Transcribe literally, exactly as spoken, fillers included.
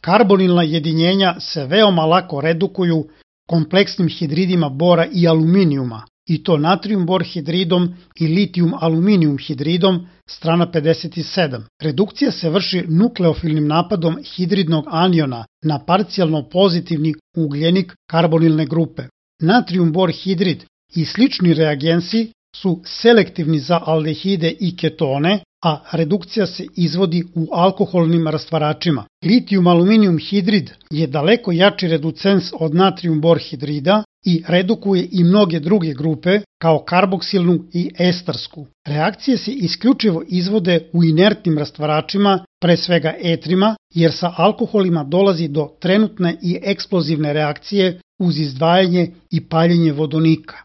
Karbonilna jedinjenja se veoma lako redukuju kompleksnim hidridima bora i aluminijuma, i to natrijum bor hidridom i litijum aluminijum hidridom, strana pedeset sedam. Redukcija se vrši nukleofilnim napadom hidridnog aniona na parcijalno pozitivni ugljenik karbonilne grupe. Natrijum bor hidrid i slični reagensi su selektivni za aldehide i ketone, a redukcija se izvodi u alkoholnim rastvaračima. Litijum aluminijum hidrid je daleko jači reducens od natrijum bor hidrida i redukuje i mnoge druge grupe kao karboksilnu i estarsku. Reakcije se isključivo izvode u inertnim rastvaračima, pre svega etrima, jer sa alkoholima dolazi do trenutne i eksplozivne reakcije uz izdvajanje i paljenje vodonika.